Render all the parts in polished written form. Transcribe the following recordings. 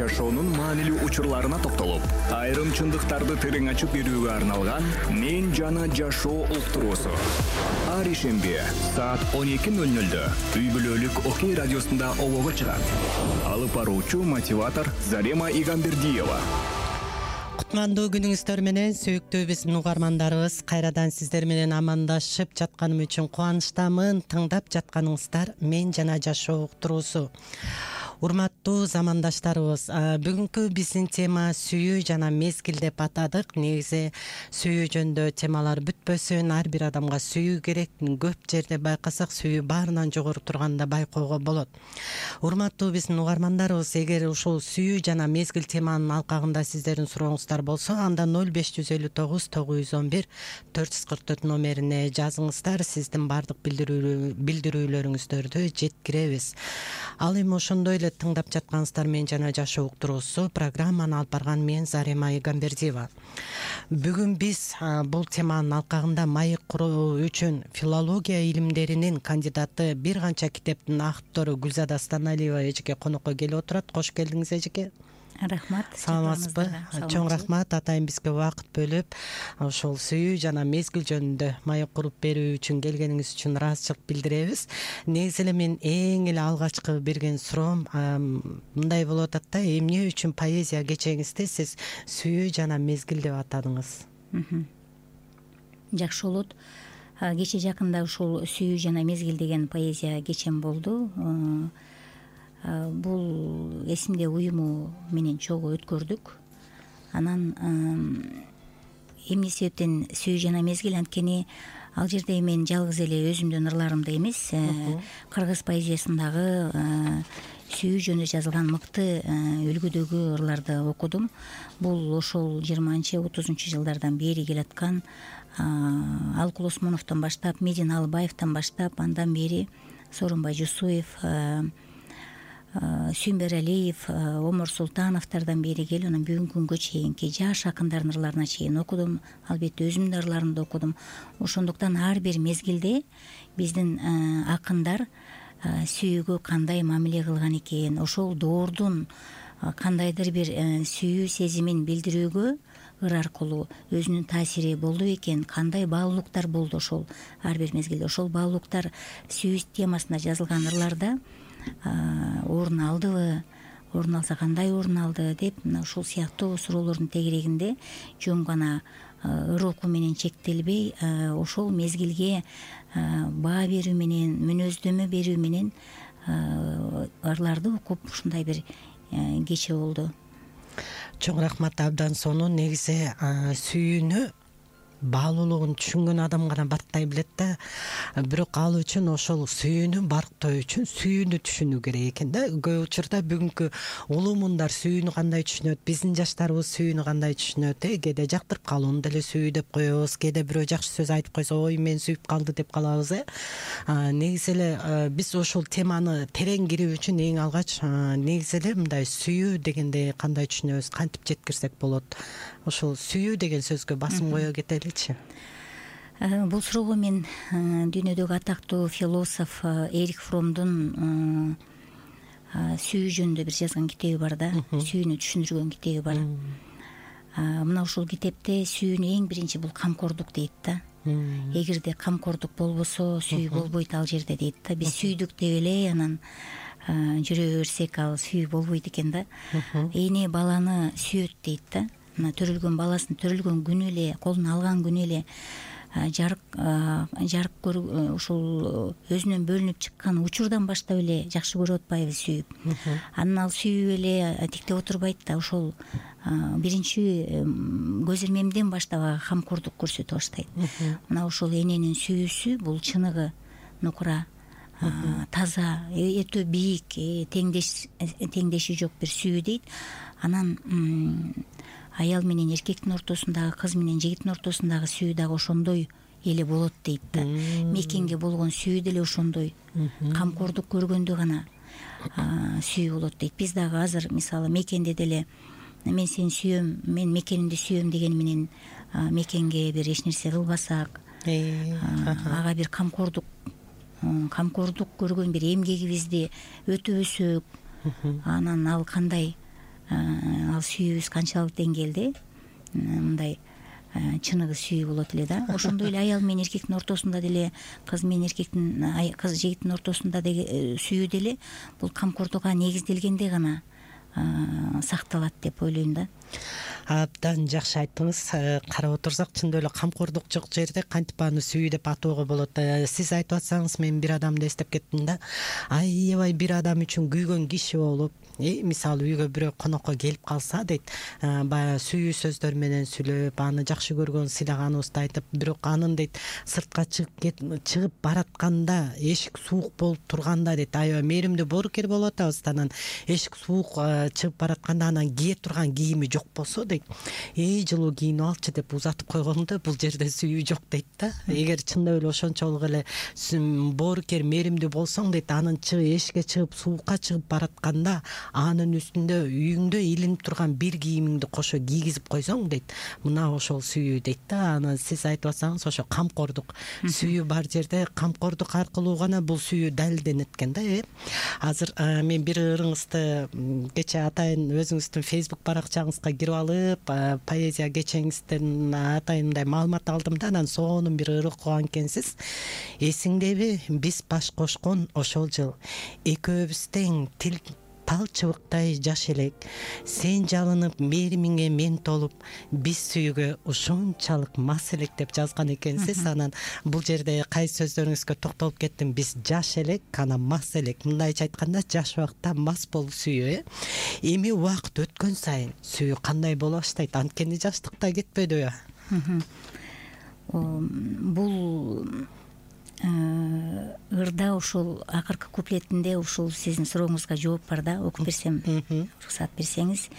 жашоонун маанилүү учурларына токтолуп, айрым чындыктарды терең ачып берүүгө арналган «Мен жана жашоо» уктуруусу. Ар ишемби саат 12:00 үй бүлөлүк Окей радиосунда обого чыгат. Алып баруучу мотиватор Зарема Игамбердиева. Кутмандуу күнүңүздөр менен сүйүктүү биздин угармандарыбыз, кайрадан сиздер менен амандашып жатканым үчүн кубанычтамын. Тыңдап жатканыңыздар «Мен жана жашоо» уктуруусу. Урматтуу замандаштарыбыз, бүгүнкү биздин тема сүйүү жана мезгил деп атадык. Негизи сүйүү жөнүндө темалар бүтпөсүн. Ар бир адамга сүйүү керек. Көп жерде байкасак, сүйүү баарынан жогору турганда байкоого болот. Урматтуу биздин угармандарыбыз, эгер ушул сүйүү жана мезгил теманын алкагында сиздердин сурооңуздар болсо, анда 0559 911 444 номерине жазыңыздар. Сиздин бардык билдирүүлөрүңүздөрдү жеткиребиз. Ал эми ошондой эле тыңдап жаткансыздар «Мен жана жашоо» уктуруусу. Программаны алып барган мен Зарема Игамбердиева. Бүгүн биз бул теманын алкагында маек куруу үчүн филология илимдеринин кандидаты, бир канча китептин автору Гүлзада Станалиева эжеке конокко келип отурат. Кош келдиңиз, эжеке. Рахмат. Саламатсызбы? Чоң рахмат атайын бизге убакыт бөлүп, ошол сүйүү жана мезгил жөнүндө маек куруп берүү үчүн келгениңиз үчүн ыраазычылык билдиребиз. Негизи эле мен эң эле алгачкы берген суроом мындай болуп атат да: эмне үчүн поэзия кечеңизде сиз сүйүү жана мезгил деп атадыңыз? Жакшы болот. Кече жакында ушул сүйүү жана мезгил деген поэзия кечем болду. Бул эсимде уюму менен чогуу өткөрдүк. Анан эмне себептен сүйүү жана мезгил? Анткени ал жерде мен жалгыз эле өзүмдүн ырларымды эмес, кыргыз поэзиясындагы сүйүү жөнүндө жазылган мыкты үлгүдөгү ырларды окудум. Бул ошол 20-30 жылдардан бери келаткан Алкул Осмоновдон баштап, Медин Алыбаевден баштап, андан бери Сооронбай Жусуев, Сүйүнбер Алиев, Омар Султановдордон бери келип, анан бүгүнкү күнгө чейинки жаш акындардын ырларына чейин окудум. Албетте өзүмдүн ырларымды окудум. Ошондуктан ар бир мезгилде биздин акындар сүйүүгө кандай мамиле кылган экен, ошол доордун кандайдыр бир сүйүү сезимин билдирүүгө ыр аркылуу өзүнүн таасири болду экен, кандай баалуулуктар болду ошол ар бир мезгилде. Ошол баалуулуктар сүйүү темасында жазылган ырларда орун алдыбы, орун алса кандай орун алды деп, мына ушул сыяктуу суроолордун тегерегинде жөн гана ыр окуу менен чектелбей, ошол мезгилге баа берүү менен, мүнөздөмө берүү менен ырларды окуп ушундай бир кече болду. Чоң рахмат, абдан сонун. Негизи сүйүүнү, баалуулугун түшүнгөн адам гана барктай билет да. Бирок ал үчүн ошол сүйүүнү барктоо үчүн сүйүүнү түшүнүү керек экен да. Көп учурда бүгүнкү улуу мундар сүйүүнү кандай түшүнөт, биздин жаштарыбыз сүйүүнү кандай түшүнөт? Кээде жактырып калууну деле сүйүү деп коебуз, кээде бирөө жакшы сөз айтып койсо, ой мен сүйүп калды деп калабыз. Негизи эле биз ошол теманы терең кирүү үчүн эң алгач негизи эле мындай сүйүү дегенде кандай түшүнөбүз, кантип жеткирсек болот? Ошол сүйүү деген сөзгө басым кое кетеличи. Бул суроого мен дүйнөдөгү атактуу философ Эрих Фромдун сүйүү жөнүндө бир жазган китеби бар да, сүйүүнү түшүндүргөн китеби бар. Мына ушул китепте сүйүүнү эң биринчи бул камкордук дейт да. Эгерде камкордук болбосо сүйүү болбойт ал жерде дейт да. Биз сүйдүк деп эле анан жүрө берсек ал сүйүү болбойт экен да. Эне баланы сүйөт дейт да. Мына төрөлгөн баласын төрөлгөн күнү эле, колуна алган күнү эле жарык көрүп, ушул өзүнөн бөлүнүп чыккан учурдан баштап эле жакшы көрүп атпайбы сүйүп. Анан ал сүйүп эле тиктеп отурбайт да, ошол биринчи көз ирмемден баштап камкордук көрсөтө баштайт. Мына ошол эненин сүйүүсү бул чыныгы нукура, таза, өтө бийик, теңдеши жок бир сүйүү дейт. Анан аял менен эркектин ортосундагы, кыз менен жигиттин ортосундагы сүйүү дагы ошондой эле болот дейт да. Мекенге болгон сүйүү деле ошондой, камкордук көргөндө гана сүйүү болот дейт. Биз дагы азыр мисалы мекенде деле мен сени сүйөм, мен мекенимди сүйөм деген менен мекенге бир эч нерсе кылбасак, ага бир камкордук көргөн бир эмгегибизди өтөбөсөк, анан ал кандай ал сүйүүбүз канчалык деңгээлде мындай чыныгы сүйүү болот эле да. Ошондой эле аял менен эркектин ортосунда деле, кыз менен эркектин, кыз жигиттин ортосунда деги сүйүү деле бул камкордукка негизделгенде гана сакталат деп ойлойм да. Абдан жакшы айттыңыз. Карап отурсак чындап эле камкордук жок жерде кантип аны сүйүү деп атоого болот. Сиз айтып атсаңыз мен бир адамды эстеп кеттим да. Аябай бир адам үчүн күйгөн киши болуп, мисалы үйгө бирөө конокко келип калса дейт, баягы сүйүү сөздөр менен сүйлөп, аны жакшы көргөн, сыйлаганыбызды айтып, бирок анын дейт сыртка чыгып баратканда эшик суук болуп турганда дейт, аябай мээримдүү боорукер болуп атабыз, анан эшик суук чыгып баратканда анан кие турган кийими жок болсо дейт, жылуу кийинип алчы деп узатып койгондо бул жерде сүйүү жок дейт да. Эгер чындап эле ошончолук эле боорукер, мээримдүү болсоң дейт, анын эшикке чыгып суукка чыгып баратканда анын үстүндө үйүңдө илинип турган бир кийимиңди кошо кийгизип койсоң дейт, мына ошол сүйүү дейт да. Аны сиз айтып атсаңыз ошо камкордук сүйүү бар жерде камкордук аркылуу гана бул сүйүү далилденет экен да. Азыр мен бир ырыңызды кечээ атайын өзүңүздүн Facebook баракчаңызга кирип алып, поэзия кечеңизден атайын мындай маалымат алдым да, анан сонун бир ыр окуган экенсиз. Эсиңдеби, биз баш кошкон ошол жыл экөөбүз тең тал чыбыктай жаш элек, сен жалынып мээримиңе мен толуп, биз сүйүүгө ушунчалык мас элек деп жазган экенсиз. Анан бул жерде кайсы сөздөрүңүзгө токтолуп кеттим. Биз жаш элек, анан мас элек. Мындайча айтканда жаш убакта мас болуп сүйүү. Эми убакыт өткөн сайын сүйүү кандай боло баштайт? Анткени жаштыкта кетпедиби? Бул ырда ушул акыркы куплетинде ушул сиздин сурооңузга жооп бар да, окуп берсем, уруксат берсеңиз.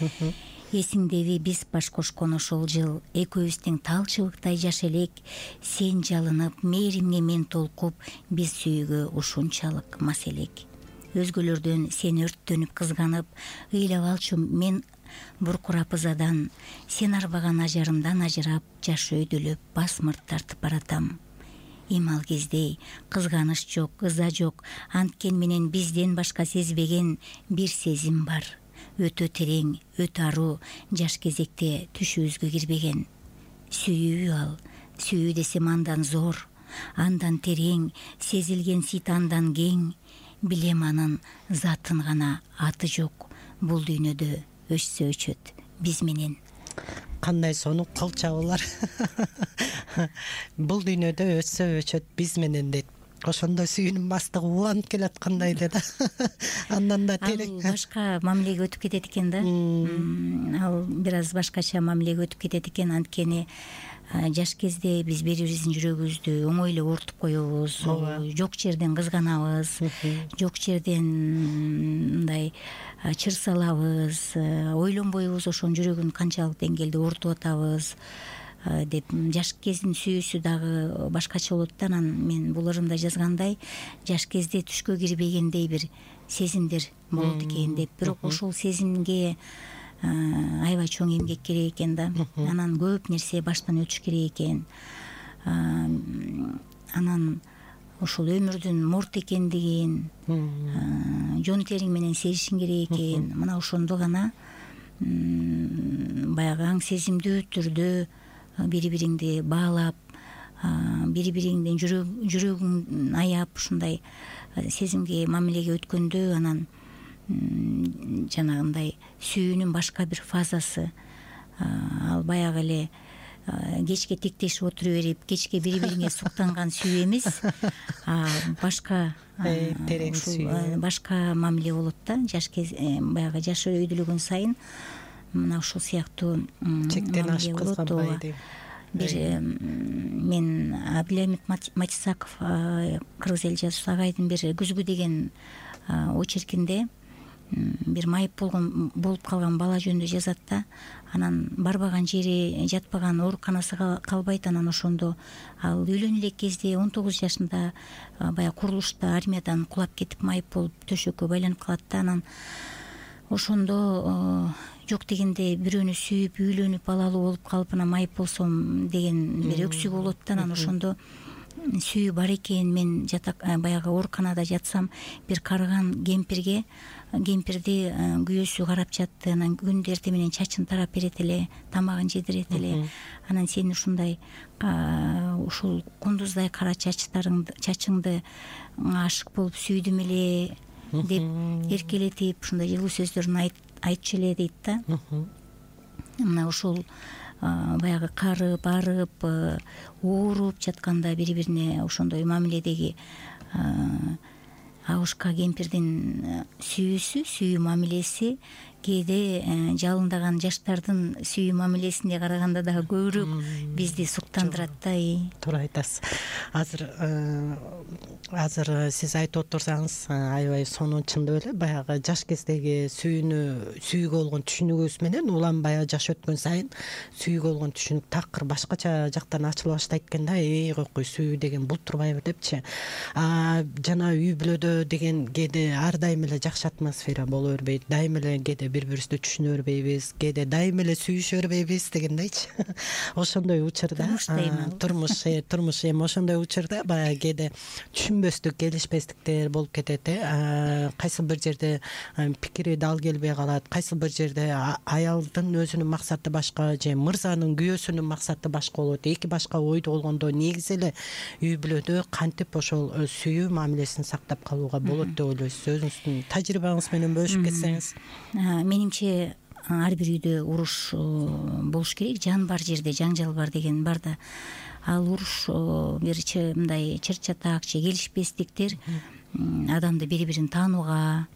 Эсиңдеби, биз баш кошкон ошол жыл экөөбүз тең тал чыбыктай жаш элек, сен жалынып мээримге мен толкуп, биз сүйүүгө ушунчалык мас элек. Өзгөлөрдөн сен өрттөнүп кызганып, ыйлап алчу мен буркурап ызадан, сен арбаган ажарымдан ажырап, жаш өйдөлөп басмырт тартып баратам. Эми ал кезде кызганыч жок, ыза жок, анткен менен бизден башка сезбеген бир сезим бар. Өтө терең, өтө аруу, жаш кезекте түшүбүзгө кирбеген. Сүйүү ал, сүйүү десем андан зор, андан терең, сезилген сыйт андан кең. Билем анын затын гана аты жок, бул дүйнөдө өчсө өчөт биз менен. Кандай сонун кол чабуулар. Бул дүйнөдө өтсө өчөт биз менен дейт. Ошондо сүйүүнүн мастыгы уланып келаткандай эле да. Андан да терең. Ал башка мамилеге өтүп кетет экен да. Ал бир аз башкача мамилеге өтүп кетет экен. Анткени жаш кезде биз бири бирибиздин жүрөгүбүздү оңой эле оорутуп коебуз, жок жерден кызганабыз, жок жерден мындай чыр салабыз, ойлонбойбуз ошонун жүрөгүн канчалык деңгээлде оорутуп атабыз деп. Жаш кездин сүйүүсү дагы башкача болот да. Анан мен бул ырымда жазгандай, жаш кезде түшкө кирбегендей бир сезимдер болот экен деп. Бирок ошол сезимге аябай чоң эмгек керек экен да. Анан көп нерсе баштан өтүш керек экен. Анан ошол өмүрдүн морт экендигин жон териң менен сезишиң керек экен. Мына ошондо гана баягы аң сезимдүү түрдө бири бириңди баалап, бири бириңдин жүрөгүң аяп ушундай сезимге мамилеге өткөндө, анан жанагындай сүйүүнүн башка бир фазасы, ал баягы эле кечке тиктешип отура берип, кечке бири бириңе суктанган сүйүү эмес, башка терең сүйүү, башка мамиле болот да. Жаш баягы жаш өйдөлгөн сайын мына ушул сыяктуу чектен ашып кызганбайды. Бир мен Абдилhamid Матисаков, кыргыз эл жазуучусу агайдын бир күзгү деген очеркинде бир майып болуп калган бала жөнүндө жазат да. Анан барбаган жери, жатпаган ооруканасы калбайт. Анан ошондо ал үйлөнө элек кезде 19 жашында баягы курулушта армиядан кулап кетип майып болуп төшөккө байланып калат да. Анан ошондо жок дегенде бирөөнү сүйүп, үйлөнүп, балалуу болуп калып, анан майып болсом деген бир өксүгү болот да. Анан ошондо сүйүү бар экен. Мен баягы ооруканада жатсам, бир карыган кемпирди күйөөсү карап жатты. Анан күндө эртең менен чачын тарап берет эле, тамагын жедирет эле. Анан сен ушундай ушул кундуздай кара чачыңды ашык болуп сүйдүм эле деп эркелетип, ушундай жылуу сөздөрүн айтчу эле дейт да. Мына ушул баягы карып, арып, ооруп жатканда бири-бирине ошондой мамиледеги Абушка кемпирдин сүйүү мамилеси кээде жалындаган жаштардын сүйүү мамилесине караганда дагы көбүрөөк бизди суктандырат да. Туура айтасыз. Азыр сиз айтып отурсаңыз аябай сонун, чындап эле баягы жаш кездеги сүйүүгө болгон түшүнүгүбүз менен уланбай жаш өткөн сайын сүйүүгө болгон түшүнүк такыр башкача жактан ачыла баштайт экен да. Койкуй, сүйүү деген бул турбайбы депчи. Жана үй бүлөдө деген кээде ар дайым эле жакшы атмосфера боло бербейт. Дайым эле кээде бири-бирибизди түшүнө бербейбиз, кээде дайым эле сүйүшө бербейбиз дегендейчи. Ошондой учурда турмуш эми ошондой учурда баягы кээде түшүнбөстүк, келишпестиктер болуп кетет. Кайсы бир жерде пикири дал келбей калат, кайсы бир жерде аялдын өзүнүн максаты башка же мырзанын, күйөөсүнүн максаты башка болот. Эки башка ойдо болгондо негизи эле үй бүлөдө кантип ошол сүйүү мамилесин сактап калууга болот деп ойлойсуз? Өзүңүздүн тажрыйбаңыз менен бөлүшүп кетсеңиз. Менимче ар бир үйдө уруш болуш керек. Жан бар жерде жаңжал бар деген бар да. Ал уруш бирчи мындай чыр-чатак же келишпестиктер адамды бири-бирин таанууга,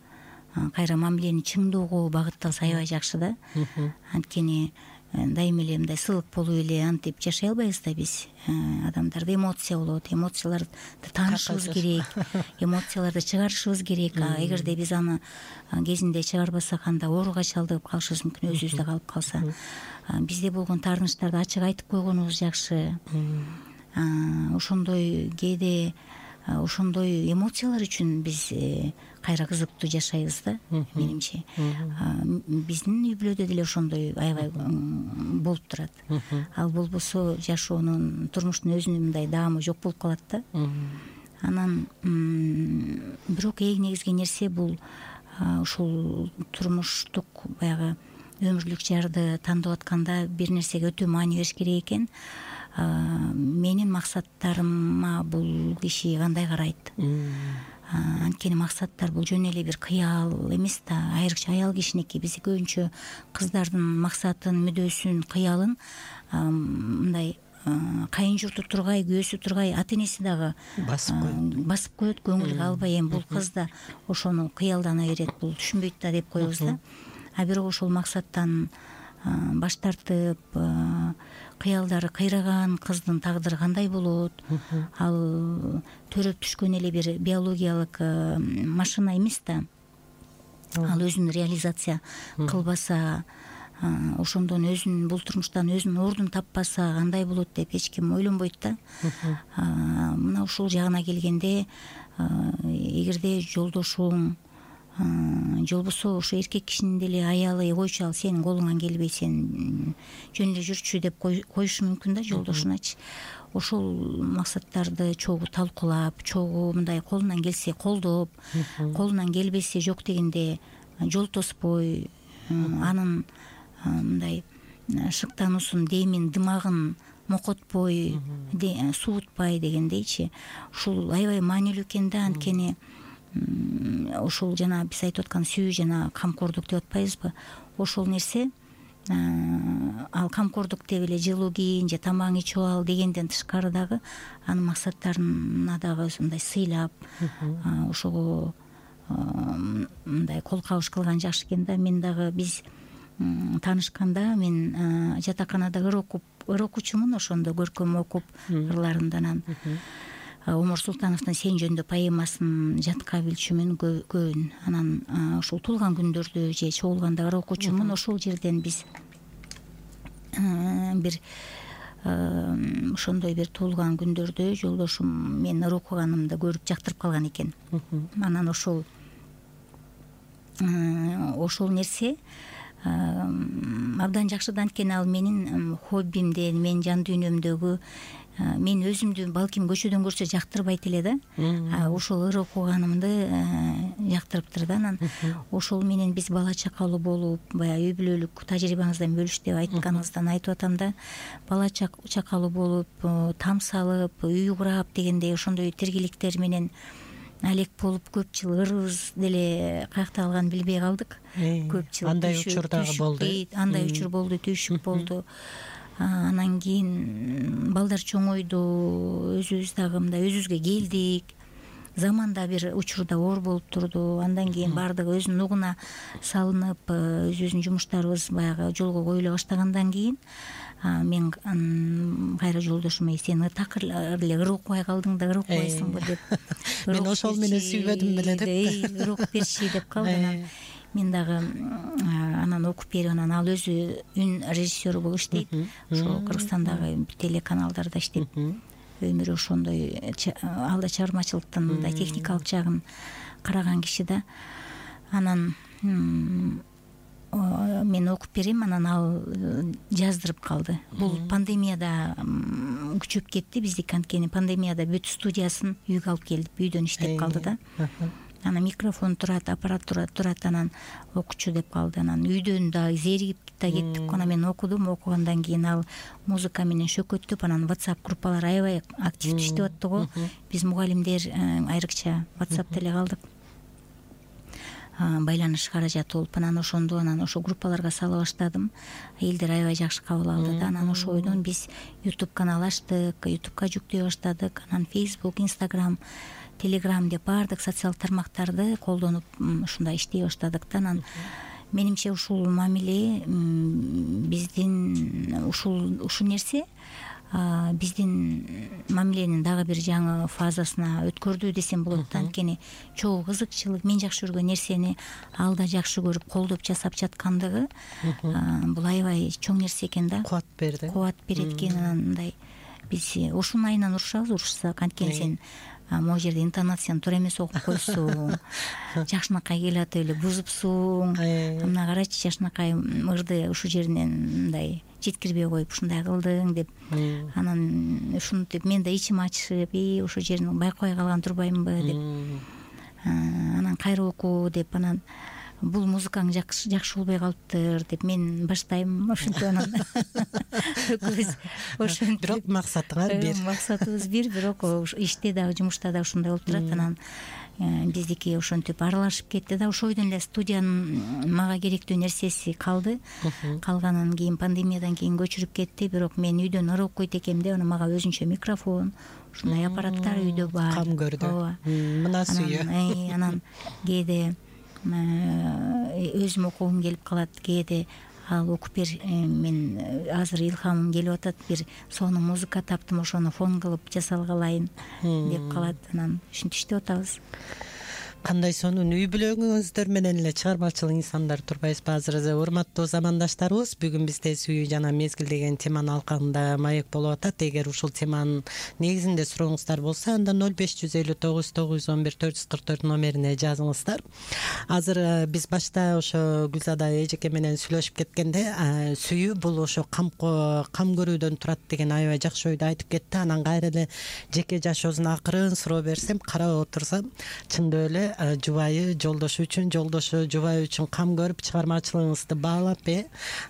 кайра мамилени чыңдоого багытталса аябай жакшы да. Анткени дайым эле мындай сылык болуп эле антип жашай албайбыз да биз. Адамдарда эмоция болот, эмоцияларды таанышыбыз керек, эмоцияларды чыгарышыбыз керек. Эгерде биз аны кезинде чыгарбасак, анда ооруга чалдыгып калышыбыз мүмкүн, өзүбүздө калып калса. Бизде болгон таарынычтарды ачык айтып койгонубуз жакшы. Ошондой кээде ошондой эмоциялар үчүн биз кайра кызыктуу жашайбыз да, менимче. Биздин үй бүлөдө деле ошондой аябай болуп турат. Ал болбосо жашоонун, турмуштун өзүнүн мындай даамы жок болуп калат да. Анан бирок эң негизги нерсе бул ушул турмуштук баягы өмүрлүк жарды тандап атканда бир нерсеге өтө маани бериш керек экен. Менин максаттарыма бул киши кандай карайт? Анткени максаттар бул жөн эле бир кыял эмес да. Айрыкча аял кишиники. Биз көбүнчө кыздардын максатын, мүдөөсүн, кыялын мындай кайын журту тургай, күйөөсү тургай, ата энеси дагы басып коет, көңүлгө албай. Эми бул кыз да ошону кыялдана берет, бул түшүнбөйт да деп коебуз да. Бирок ошол максаттан баш тартып, кыялдары кыйраган кыздын тагдыры кандай болот? Ал төрөп түшкөн эле бир биологиялык машина эмес да. Ал өзүн реализация кылбаса, ошондон өзүн бул турмуштан өзүнүн ордун таппаса кандай болот деп эч ким ойлонбойт да. Мына ушул жагына келгенде, эгерде жолдошуң же болбосо ошо эркек кишинин деле аялы койчу, ал сенин колуңан келбей, сен жөн эле жүрчү деп коюшу мүмкүн да жолдошуначы. Ошол максаттарды чогуу талкуулап, чогуу мындай колунан келсе колдоп, колунан келбесе жок дегенде жол тоспой, анын мындай шыктануусун, демин, дымагын мокотпой, суутпай дегендейчи. Ушул аябай маанилүү экен да. Анткени ошол жана биз айтып аткан сүйүү жана камкордук деп атпайбызбы? Ошол нерсе ал камкордук деп эле жылуу кийин же тамагың ичип ал дегенден тышкары дагы анын максаттарына дагы мындай сыйлап, ошого мындай кол кабыш кылган жакшы экен да. Мен дагы биз таанышканда мен жатаканада ыр окуучумун, ошондо көркөм окуп ырларымды. Анан Омар Султановдун Сен жөнүндө поэмасын жатка билчүмүн көбүн. Анан ошол туулган күндөрдө же чогулганда ыр окуучумун. Ошол жерден биз бир ошондой бир туулган күндөрдө жолдошум мен ыр окуганымды көрүп жактырып калган экен. Анан ошол нерсе абдан жакшы да. Анткени ал менин хоббимден, менин жан дүйнөмдөгү мен өзүмдү балким көчөдөн көрсө жактырбайт эле да, ошол ыр окуганымды жактырыптыр да. Анан ошол менен биз бала чакалуу болуп, баягы үй бүлөлүк тажрыйбаңыздан бөлүш деп айтканыңыздан айтып атам да, бала чакалуу болуп, там салып, үй курап дегендей ошондой тиргиликтер менен алек болуп көп жыл ырыбыз деле каякта калганын билбей калдык. Көп жыл андай учур дагы болду. Андай учур болду, түйшүк болду. Анан кийин балдар чоңойду, өзүбүз дагы мындай өзүбүзгө келдик. Заманда бир учурда оор болуп турду. Андан кийин баардыгы өзүнүн угуна салынып, өзүбүздүн жумуштарыбыз баягы жолго коюла баштагандан кийин мен кайра жолдошума сен такыр эле ыр окубай калдың да, ыр окубайсыңбы деп. Мен ошол менен сүйбөдүм беле деп. Ыр окуп берчи деп калды. Анан мен дагы анан окуп берип, анан ал өзү үн режиссеру болуп иштейт. Ошо Кыргызстандагы телеканалдарда иштеп, өмүрү ошондой алда чыгармачылыктын мындай техникалык жагын караган киши да. Анан мен окуп берем, анан ал жаздырып калды. Бул пандемияда күчөп кетти биздики, анткени пандемияда бүт студиясын үйгө алып келип, үйдөн иштеп калды да. Анан микрофон турат, аппаратура турат, анан окучу деп калды. Анан үйдөн да зеригип да кеттик. Анан мен окудум, окугандан кийин ал музыка менен шөкөттөп, анан WhatsApp группалар аябай активдүү иштеп атты го. Биз мугалимдер айрыкча WhatsApp'та эле калдык. Байланыш каражаты болуп, анан ошондо ошо группаларга сала баштадым. Элдер аябай жакшы кабыл алды да. Анан ошойдон биз YouTube канал ачтык, YouTube'ка жүктөй баштадык. Анан Facebook, Instagram, Telegram деп баардык социалдык тармактарды колдонуп ушундай иштей баштадык да. Анан менимче ушул мамиле биздин ушул нерсе биздин мамиленин дагы бир жаңы фазасына өткөрдү десем болот да. Анткени чогуу кызыкчылык, мен жакшы көргөн нерсени ал да жакшы көрүп колдоп жасап жаткандыгы бул аябай чоң нерсе экен да. Кубат берди. Кубат берет экен. Анан мындай биз ушунун айынан урушабыз, урушсак, анткени сен могу жерде интонацияны туура эмес окуп койсуң, жакшынакай келип эле бузупсуң. Мына карачы, жакшынакай ырды ушул жеринен мындай жеткирбей коюп ушундай кылдың деп. Анан ушинтип мен да ичим ачышып, ошол жерин байкабай калган турбаймынбы деп. Анан кайра оку деп, анан бул музыкаң жакшы болбой калыптыр деп мен баштайм. Ошентип анан экөөбүз ошентип, бирок максатыңар бир. Максатыбыз бир, бирок иште дагы, жумушта дагы ушундай болуп турат. Анан биздики ошентип аралашып кетти да. Ошойдон эле студиянын мага керектүү нерсеси калды. Калганын кийин пандемиядан кийин көчүрүп кетти. Бирок мен үйдөн ыр окуйт экем деп, анан мага өзүнчө микрофон, ушундай аппараттар үйдө бар. Кам көрдү. Мына сүйө. Анан кээде өзүм окугум келип калат, кээде ал окуп бер, мен азыр илхамым келип атат, бир сонун музыка таптым, ошону фон кылып жасалгалайын деп калат. Анан ушинтип иштеп атабыз. Кандай сонун үй бүлөңүздөр менен эле чыгармачыл инсандар турбайсызбы? Азыр урматтуу замандаштарыбыз, бүгүн бизде сүйүү жана мезгил деген теманын алкагында маек болуп атат. Эгер ушул теманын негизинде сурооңуздар болсо, анда 0559 911 444 номерине жазыңыздар. Азыр биз башта ошо Гүлзада эжеке менен сүйлөшүп кеткенде, сүйүү бул ошо кам көрүүдөн турат деген аябай жакшы ойду айтып кетти. Анан кайра эле жеке жашоосуна акырын суроо берсем, карап отурсам, чындап эле жубайы жолдошу үчүн, жолдошу жубайы үчүн кам көрүп чыгармачылыгыңызды баалап,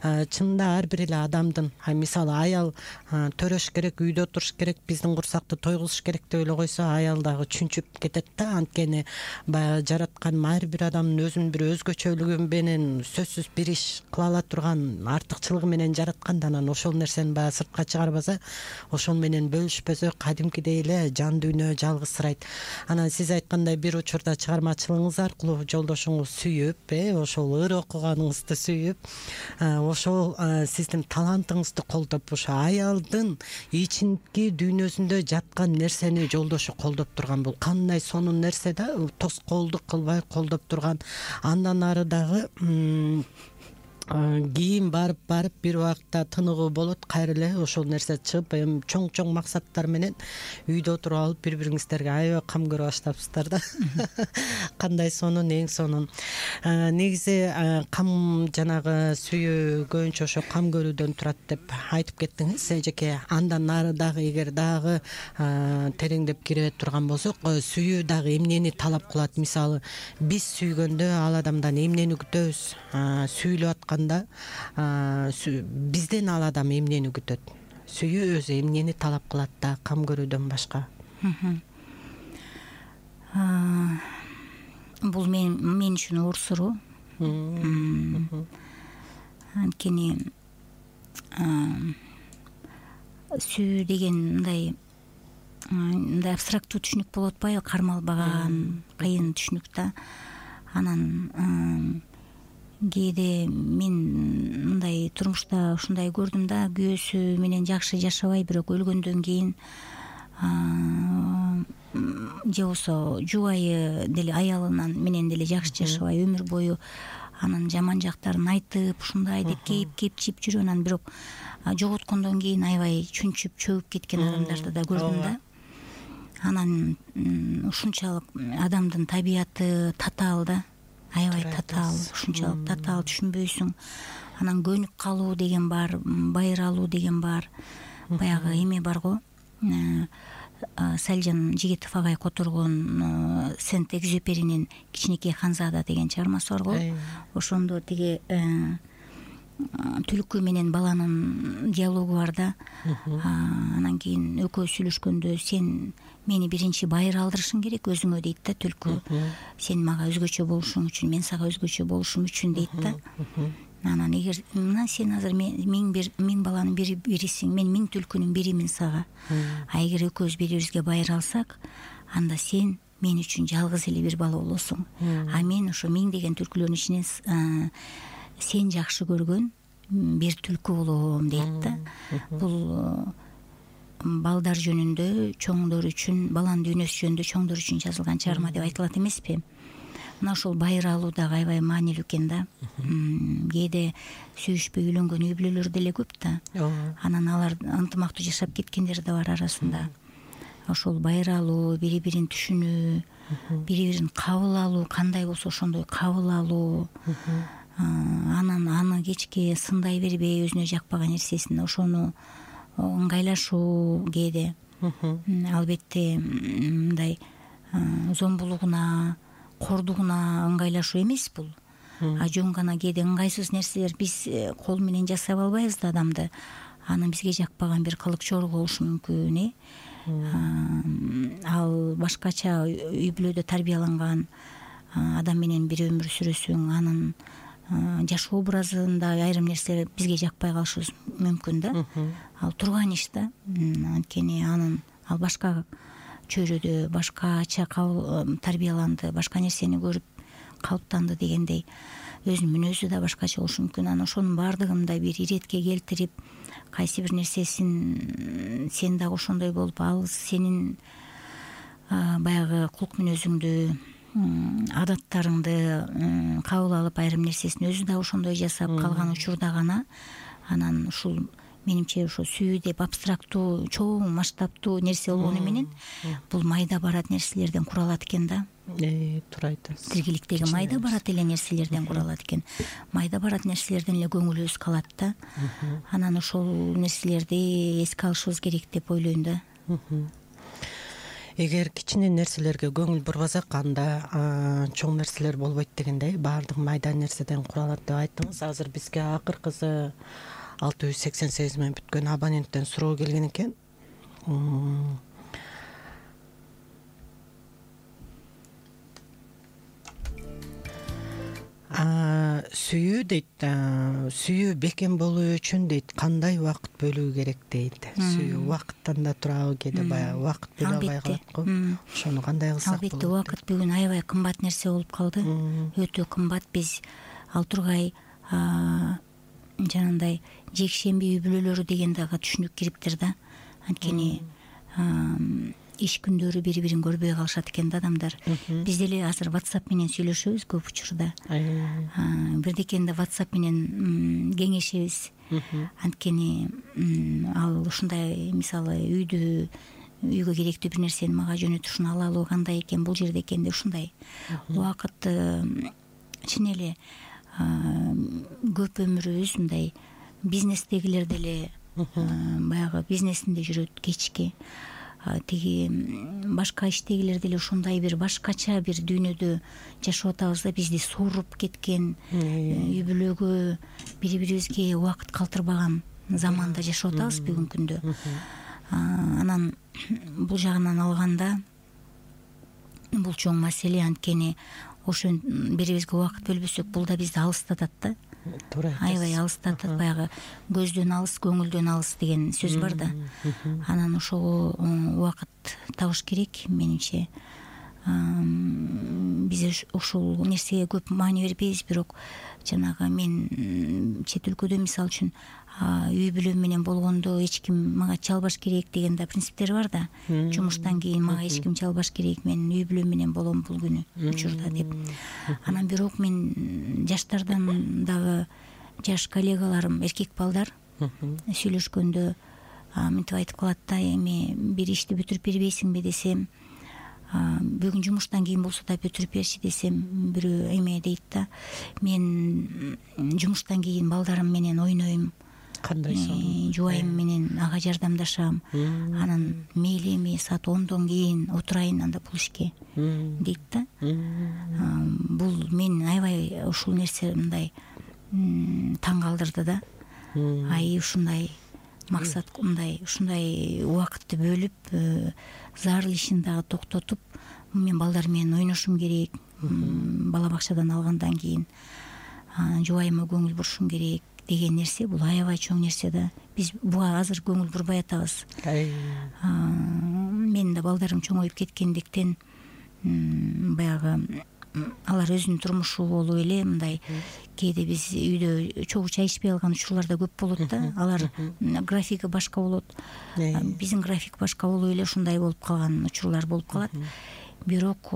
чынында ар бир эле адамдын, мисалы аял төрөш керек, үйдө туруш керек, биздин курсакты тойгузуш керек деп эле койсо, аял дагы чүнчүп кетет да. Анткени баягы жараткан ар бир адамдын өзүнүн бир өзгөчөлүгү менен сөзсүз бир иш кыла ала турган артыкчылыгы менен жараткан да. Анан ошол нерсени баягы сыртка чыгарбаса, ошол менен бөлүшпөсө, кадимкидей эле жан дүйнө жалгызсырайт. Анан сиз айткандай бир учурда чыгармачылыгыңыз аркылуу жолдошуңуз сүйүп, ошол ыр окуганыңызды сүйүп, ошол сиздин талантыңызды колдоп, ошо аялдын ичинки дүйнөсүндө жаткан нерсени жолдошу колдоп турган. Бул кандай сонун нерсе да, тоскоолдук кылбай колдоп турган. Андан ары дагы кийин барып бир убакта тыныгуу болот, кайра эле ошол нерсе чыгып эми чоң максаттар менен үйдө отуруп алып бири бириңиздерге аябай кам көрө баштапсыздар да. Кандай сонун, эң сонун. Негизи кам жанагы сүйүү көбүнчө ошо кам көрүүдөн турат деп айтып кеттиңиз эжеке. Андан нары дагы эгер дагы тереңдеп кире турган болсок, сүйүү дагы эмнени талап кылат? Мисалы, биз сүйгөндө ал адамдан эмнени күтөбүз? Сүйлөп атканда бизден ал адам эмнени күтөт? Сүйүү өзү эмнени талап кылат да кам көрүүдөн башка? Бул мен үчүн оор суроо. Анткени сүйүү деген мындай абстрактуу түшүнүк болуп атпайбы? Кармалбаган, кыйын түшүнүк да. Анан кээде мен мындай турмушта ушундай көрдүм да, күйөөсү менен жакшы жашабай, бирок өлгөндөн кийин же болбосо жубайы деле аялынан менен деле жакшы жашабай, өмүр бою анын жаман жактарын айтып, ушундай деп кепчип жүрүп, анан бирок жоготкондон кийин аябай чүнчүп чөгүп кеткен адамдарды да көрдүм да. Анан ушунчалык адамдын табияты татаал да, аябай татаал, ушунчалык татаал, түшүнбөйсүң. Анан көнүп калуу деген бар, байыралуу деген бар. Баягы эме бар го, Салжан Жигитов агай которгон Сент-Экзюперинин Кичинекей Ханзада деген чыгармасы бар го. Ошондо тиги түлкү менен баланын диалогу бар да. Анан кийин экөө сүйлөшкөндө, сен мени биринчи байыр алдырышың керек өзүңө дейт да түлкү. Сен мага өзгөчө болушуң үчүн, мен сага өзгөчө болушум үчүн дейт да. Анан эгер мына сен азыр миң баланын бирисиң, мен миң түлкүнүн биримин сага. Эгер экөөбүз бири-бирибизге байыр алсак, анда сен мен үчүн жалгыз эле бир бала болосуң. Мен ошо миң деген түлкүлөрдүн ичинен сен жакшы көргөн бир түлкү болом дейт да. Бул балдар жөнүндө, чоңдор үчүн, баланын дүйнөсү жөнүндө чоңдор үчүн жазылган чыгарма деп айтылат эмеспи? Мына ошол байыр алуу дагы аябай маанилүү экен да. Кээде сүйүшпөй үйлөнгөн үй бүлөлөр деле көп да. Анан алар ынтымактуу жашап кеткендер да бар арасында. Ошол байыр алуу, бири-бирин түшүнүү, бири-бирин кабыл алуу, кандай болсо ошондой кабыл алуу. Анан аны кечке сындай бербей, өзүнө жакпаган нерсесин ошону ыңгайлашуу кээде. Албетте мындай зомбулугуна, кордугуна ыңгайлашуу эмес бул. Жөн гана кээде ыңгайсыз нерселер биз кол менен жасап албайбыз да адамды. Аны бизге жакпаган бир кылык чору болушу мүмкүн, Ал башкача үй бүлөдө тарбияланган адам менен бир өмүр сүрөсүң, анын жашоо образында айрым нерселер бизге жакпай калышы мүмкүн да. Ал турган иш да. Анткени ал башка чөйрөдө башкача тарбияланды, башка нерсени көрүп калыптанды дегендей, өзүнүн мүнөзү да башкача болушу мүмкүн. Анан ошонун баардыгын да бир иретке келтирип, кайсы бир нерсесин сен дагы ошондой болуп, ал сенин баягы кулк мүнөзүңдү, адаттарыңды кабыл алып, айрым нерсесин өзү да ошондой жасап калган учурда гана анан ушул менимче ошо сүйүү деп абстрактуу, чоң масштабтуу нерсе болгону менен бул майда барат нерселерден куралат экен да. Туура айтасыз. Тиргиликтеги майда барат эле нерселерден куралат экен. Майда барат нерселерден эле көңүлүбүз калат да. Анан ошол нерселерди эске алышыбыз керек деп ойлойм да. Эгер кичине нерселерге көңүл бурбасак, анда чоң нерселер болбойт дегендей, баардык майда нерседен куралат деп айттыңыз. Азыр бизге акыркысы 688 менен бүткөн абоненттен суроо келген экен. Сүйүү дейт, сүйүү бекем болуу үчүн дейт кандай убакыт бөлүү керек дейт. Сүйүү убакыттан да турабы, кээде баягы убакыт бөлө албай калат го. Ошону кандай кылсак болот? Албетте, убакыт бүгүн аябай кымбат нерсе болуп калды. Өтө кымбат. Биз ал тургай жанагындай жекшемби үй бүлөлөрү деген дагы түшүнүк кириптир да. Анткени иш күндөрү бири бирин көрбөй калышат экен да адамдар. Биз деле азыр WhatsApp менен сүйлөшөбүз көп учурда. Бирдекенде WhatsApp менен кеңешебиз. Анткени ал ушундай мисалы үйгө керектүү бир нерсени мага жөнөтүп ушуну ала алуу кандай экен, бул жерде экен деп ушундай убакытты чын эле көп өмүрүбүз мындай бизнестегилер деле баягы бизнесинде жүрөт кечки, тиги башка иштегилер деле ушундай бир башкача бир дүйнөдө жашап атабыз да, бизди сууруп кеткен, үй бүлөгө бири бирибизге убакыт калтырбаган заманда жашап атабыз бүгүнкү күндө. Анан бул жагынан алганда бул чоң маселе, анткени ошо бирибизге убакыт бөлбөсөк бул да бизди алыстатат да. Туура айтасыз. Аябай алыстатат, баягы көздөн алыс, көңүлдөн алыс деген сөз бар да. Анан ошого убакыт табыш керек менимче. Биз ушул нерсеге көп маани бербейбиз, бирок жанагы мен чет өлкөдө мисалы үчүн үй бүлөм менен болгондо эч ким мага чалбаш керек деген да принциптер бар да. Жумуштан кийин мага эч ким чалбаш керек, мен үй бүлөм менен болом бул күнү учурда деп. Анан бирок мен жаштардан дагы жаш коллегаларым, эркек балдар сүйлөшкөндө мынтип айтып калат да, эми бир ишти бүтүрүп бербейсиңби десем, бүгүн жумуштан кийин болсо да бүтүрүп берчи десем, бирөө эме дейт да, мен жумуштан кийин балдарым менен ойнойм, кандай жубайым менен ага жардамдашам, анан мейли эми саат 10дон кийин отурайын анда бул ишке дейт да. Бул мен аябай ушул нерсе мындай таң калтырды да. Ушундай максат, мындай ушундай убакытты бөлүп, зарыл ишин дагы токтотуп, мен балдар менен ойношум керек, бала бакчадан алгандан кийин жубайыма көңүл бурушум керек деген нерсе, бул аябай чоң нерсе да. Биз буга азыр көңүл бурбай атабыз. Менин да балдарым чоңоюп кеткендиктен баягы алар өзүнүн турмушу болуп эле мындай кээде биз үйдө чогуу чай ичпей калган учурлар да көп болот да. Алар графиги башка болот, биздин график башка болуп эле ушундай болуп калган учурлар болуп калат. Бирок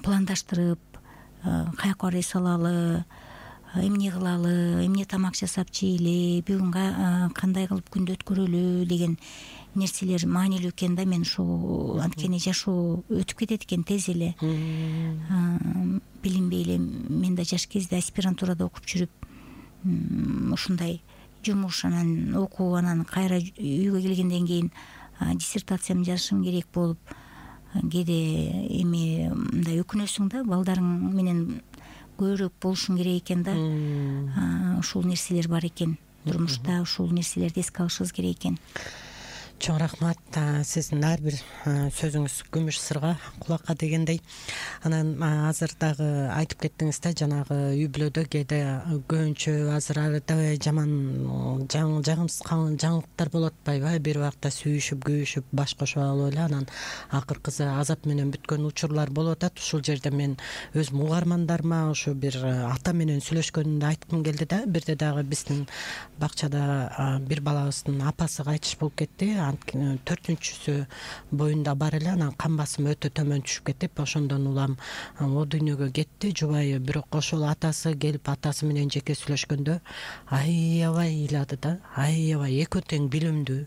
пландаштырып, каяка барбай салалы, эмне кылалы, эмне тамак жасап жейли, бүгүн кандай кылып күндү өткөрөлү деген нерселер маанилүү экен да. Мен ушул анткени жашоо өтүп кетет экен тез эле. Билинбей эле мен да жаш кезде аспирантурада окуп жүрүп, ушундай жумуш, анан окуу, анан кайра үйгө келгенден кийин диссертациямды жазышым керек болуп, кээде эми мындай өкүнөсүң да, балдарың менен көбүрөөк болушуң керек экен да. Ушул нерселер бар экен турмушта, ушул нерселерди эске алышыбыз керек экен. Чоң рахмат, сиздин ар бир сөзүңүз күмүш сырга, кулакка дегендей. Анан азыр дагы айтып кеттиңиз да, жанагы үй бүлөдө кээде көбүнчө азыр аябай жаман жагымсыз жаңылыктар болуп атпайбы? Бир убакта сүйүшүп, күйүшүп, баш кошуп алып эле анан акыркысы азап менен бүткөн учурлар болуп атат. Ушул жерде мен өзүм угармандарыма ушу бир ата менен сүйлөшкөнүмдү айткым келди да. Бирде дагы биздин бакчада бир балабыздын апасы кайтыш болуп кетти. 4-чүсү боюнда бар эле, анан кан басымы өтө төмөн түшүп кетип, ошондон улам о дүйнөгө кетти. Жубайы бирок ошол атасы келип атасы менен жеке сүйлөшкөндө аябай ыйлады да, аябай экөө тең билимдүү,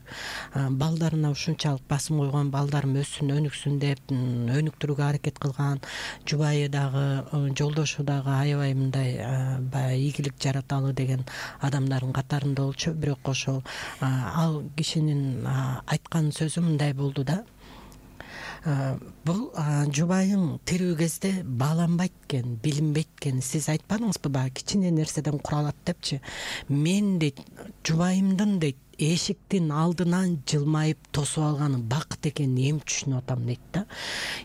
балдарына ушунчалык басым койгон, балдарым өссүн, өнүксүн деп өнүктүрүүгө аракет кылган, жубайы дагы жолдошу дагы аябай мындай баягы ийгилик жараталы деген адамдардын катарында болчу. Бирок ошол ал кишинин айткан сөзү мындай болду да, бул жубайың тирүү кезде бааланбайт экен, билинбейт экен. Сиз айтпадыңызбы, баягы кичине нерседен куралат депчи. Мен дейт, жубайымдын дейт эшиктин алдынан жылмайып тосуп алганы бакыт экенин эми түшүнүп атам дейт да.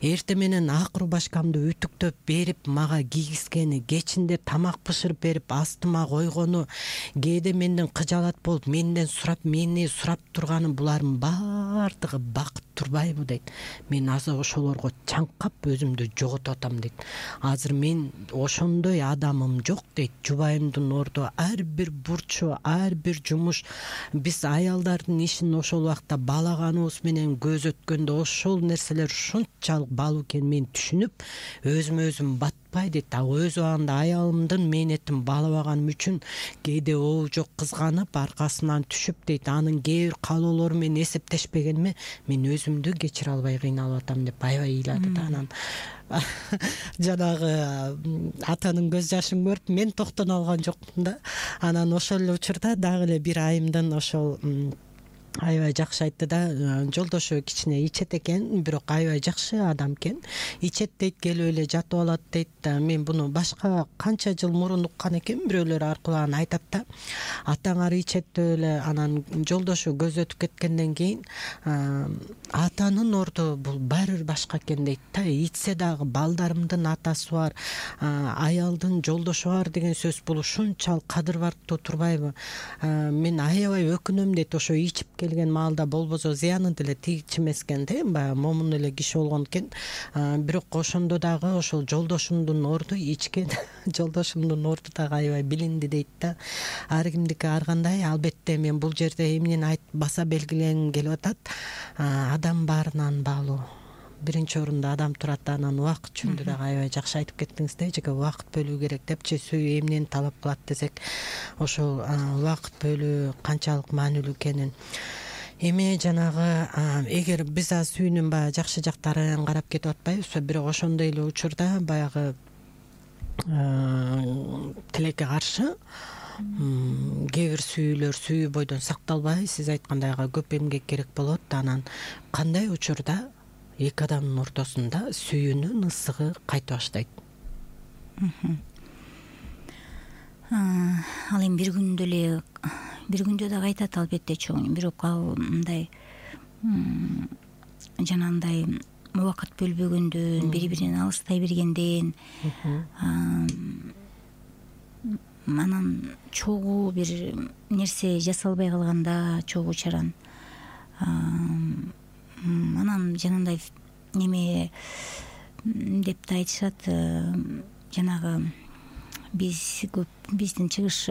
Эртең менен акыру башкамды үтүктөп берип, мага кийгизгени, кечинде тамак бышырып берип, астыма койгону, кээде менден кыжаалат болуп, мени сурап турганы, булардын баардыгы бакыт турбайбы дейт. Мен азыр ошолорго чаңкап өзүмдү жоготуп атам дейт. Азыр мен ошондой адамым жок дейт. Жубайымдын орду ар бир бурчу, ар бир жумуш биз аялдардын ишин ошол убакта балаганыбыз менен көз өткөндө ошол нерселер ушунчалык балуу экенин мен түшүнүп, өзүмө өзүм батпай дейт. Өз убагында аялымдын мээнетин балабаганым үчүн кээде оо жок кызганып аркасынан түшүп дейт. Анын кээ бир каалоолору менен эсептешпегениме мен өзүмдү кечире албай кыйналып атам деп аябай ыйлады да. Анан жанагы атанын көз жашын көрүп мен токтоно алган жокмун да. Анан ошол эле учурда дагы эле бир айымдын ошол аябай жакшы айтты да. Жолдошу кичине ичет экен, бирок аябай жакшы адам экен. Ичет дейт, келип эле жатып алат дейт. Мен буну башка канча жыл мурун уккан экенмин, бирөөлөр аркылуу аны айтат да. Атаңар ичет деп эле. Анан жолдошу көз өтүп кеткенден кийин атанын орду бул баары бир башка экен дейт да. Ичсе дагы балдарымдын атасы бар, аялдын жолдошу бар деген сөз бул ушунчалык кадыр бардуу турбайбы? Мен аябай өкүнөм дейт. Ошо ичип келген маалда болбосо зыяны деле тийчүмес экен да, баягы момун эле киши болгон экен. Бирок ошондо дагы ошол жолдошумдун орду ичкен жолдошумдун орду дагы аябай билинди дейт да. Ар кимдики ар кандай. Албетте мен бул жерде эмнени баса белгилегим келип атат. Адам баарынан баалуу. Биринчи орунда адам турат. Анан убакыт жөнүндө дагы аябай жакшы айтып кеттиңиз да. Эжеке убакыт бөлүү керек депчи. Сүйүү эмнени талап кылат десек, ошол убакыт бөлүү канчалык маанилүү экенин. Эми жанагы эгер биз азыр сүйүүнүн баягы жакшы жактарын карап кетип атпайбызбы, бирок ошондой эле учурда баягы тилекке каршы кээ бир сүйүүлөр сүйүү бойдон сакталбай, сиз айткандай көп эмгек керек болот. Анан кандай учурда эки адамдын ортосунда сүйүүнүн ысыгы кайта баштайт? Ал эми бир күндө да кайтат албетте чоң. Бирок ал мындай жанагындай убакыт бөлбөгөндөн, бири-биринен алыстай бергенден, анан чогуу бир нерсе жасалбай калганда, чогуу чаран анан жанагындай неме деп да айтышат. Жанагы биздин чыгыш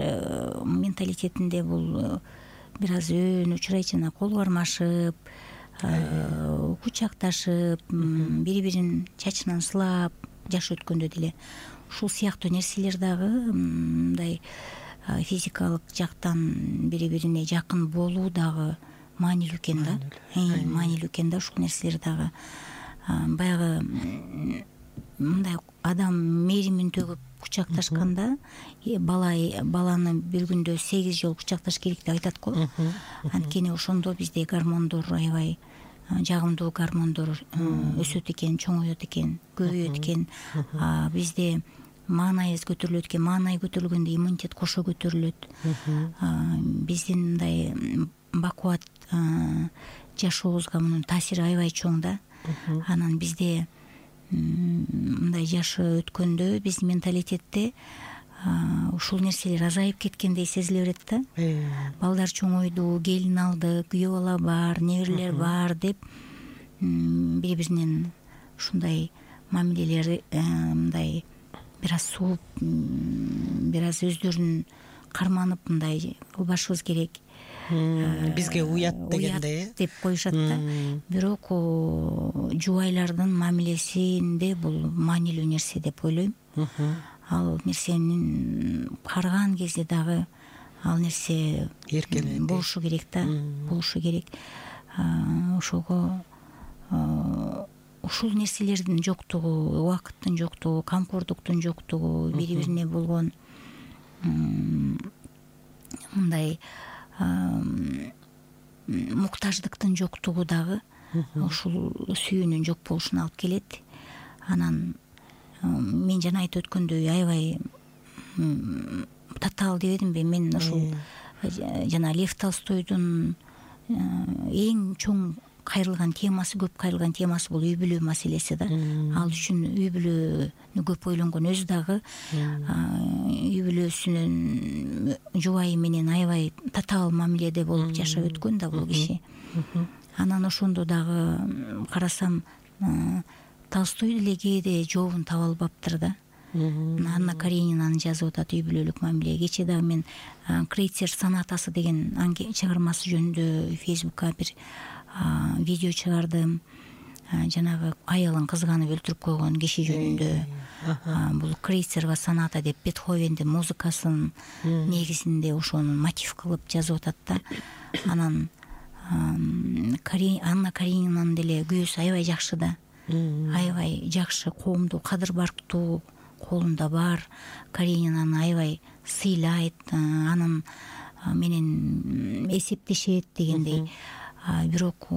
менталитетинде бул бир аз өөн учурайт. Жана кол кармашып, кучакташып, бири-бирин чачынан сылап жаш өткөндө деле ушул сыяктуу нерселер дагы мындай физикалык жактан бири-бирине жакын болуу дагы маанилүү экен да. Маанилүү экен да ушул нерселер дагы. Баягы мындай адам мээримин төгүп кучакташканда баланы бир күндө 8 жолу кучакташ керек деп айтат го. Анткени ошондо бизде гормондор аябай жагымдуу гормондор өсөт экен, чоңоет экен, көбөйөт экен. Бизде маанайыбыз көтөрүлөт экен. Маанай көтөрүлгөндө иммунитет кошо көтөрүлөт. Биздин мындай бакубат жашообузга мунун таасири аябай чоң да. Анан бизде мындай жашы өткөндө биздин менталитетте ушул нерселер азайып кеткендей сезиле берет да. Балдар чоңойду, келин алды, күйөө бала бар, неберелер бар деп бири-биринен ушундай мамилелери мындай бир аз сууп, бир аз өздөрүн карманып мындай кылбашыбыз керек. Бизге уят дегендей деп коюшат да. Бирок жубайлардын мамилесинде бул маанилүү нерсе деп ойлойм. Ал нерсенин карыган кезде дагы ал нерсе болушу керек да, болушу керек. Ошого ушул нерселердин жоктугу, убакыттын жоктугу, камкордуктун жоктугу, бири-бирине болгон мындай муктаждыктын жоктугу дагы ушул сүйүүнүн жок болушуна алып келет. Анан мен жана айтып өткөндөй аябай татаал дебедимби, мен ушул жана Лев Толстойдун эң чоң кайрылган темасы, көп кайрылган темасы бул үй бүлө маселеси да. Ал үчүн үй бүлөнү көп ойлонгон, өзү дагы үй бүлөсүнүн жубайы менен аябай татаал мамиледе болуп жашап өткөн да бул киши. Анан ошондо дагы карасам Толстой деле кээде жообун таба албаптыр да. Анна Каренинаны жазып атат үй бүлөлүк мамиле. Кечээ дагы мен Крейцер сонатасы деген чыгармасы жөнүндө Фейсбукка бир видео чыгардым. Жанагы аялын кызганып өлтүрүп койгон киши жөнүндө. Бул Крейцерова соната деп Бетховендин музыкасын негизинде ошону мотив кылып жазып атат да. Анан Анна Каренинанын деле күйөөсү аябай жакшы да. Аябай жакшы, коомду кадыр барктуу колунда бар. Каренинаны аябай сыйлайт, анын менен эсептешет дегендей. Бирок